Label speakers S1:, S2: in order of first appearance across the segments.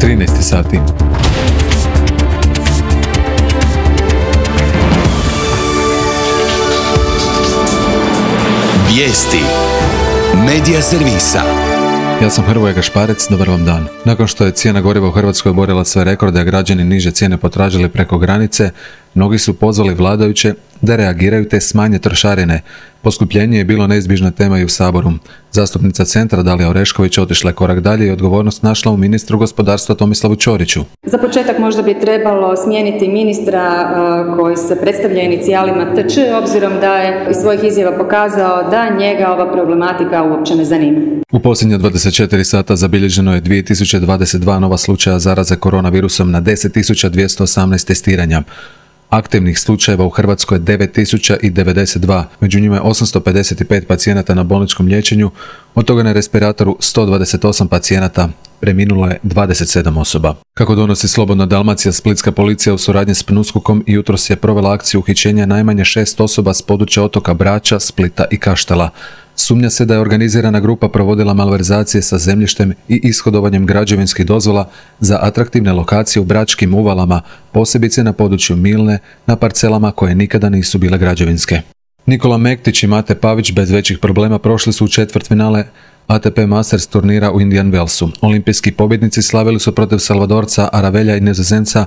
S1: 13 sati.
S2: Vijesti Medija servisa.
S1: Ja sam Hrvoje Gašparec, dobar vam dan. Nakon što je cijena goriva u Hrvatskoj oborila sve rekorde, a građani niže cijene potražili preko granice, mnogi su pozvali vladajuće da reagiraju te smanje trošarine. Poskupljenje je bilo neizbježna tema i u Saboru. Zastupnica Centra Dalija Orešković otišla je korak dalje i odgovornost našla u ministru gospodarstva Tomislavu Ćoriću.
S3: Za početak možda bi trebalo smijeniti ministra koji se predstavlja inicijalima TČ, obzirom da je iz svojih izjava pokazao da njega ova problematika uopće ne zanima.
S1: U posljednja 24 sata zabilježeno je 2022 nova slučaja zaraze koronavirusom na 10.218 testiranja. Aktivnih slučajeva u Hrvatskoj je 9.092, među njima je 855 pacijenata na bolničkom liječenju, od toga na respiratoru 128 pacijenata, preminulo je 27 osoba. Kako donosi Slobodna Dalmacija, splitska policija u suradnji s PNUSKOK-om jutros je provela akciju uhićenja najmanje 6 osoba s područja otoka Brača, Splita i Kaštela. Sumnja se da je organizirana grupa provodila malverzacije sa zemljištem i ishodovanjem građevinskih dozvola za atraktivne lokacije u bračkim uvalama, posebice na području Milne, na parcelama koje nikada nisu bile građevinske. Nikola Mektić i Mate Pavić bez većih problema prošli su u četvrtfinale ATP Masters turnira u Indian Wellsu. Olimpijski pobjednici slavili su protiv Salvadorca Aravelja i Nizozemca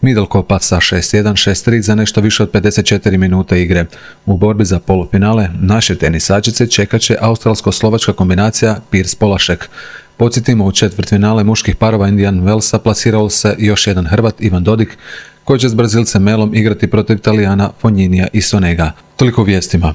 S1: Middlecopa sa 6-1, 6-3 za nešto više od 54 minute igre. U borbi za polufinale naše tenisačice čekat će australsko-slovačka kombinacija Pirs-Polašek. Podsjetimo, u četvrtfinale muških parova Indian Wellsa plasirao se još jedan Hrvat, Ivan Dodik, koji će s Brazilcem Melom igrati protiv Italijana Fogninija i Sonega. Toliko vijestima.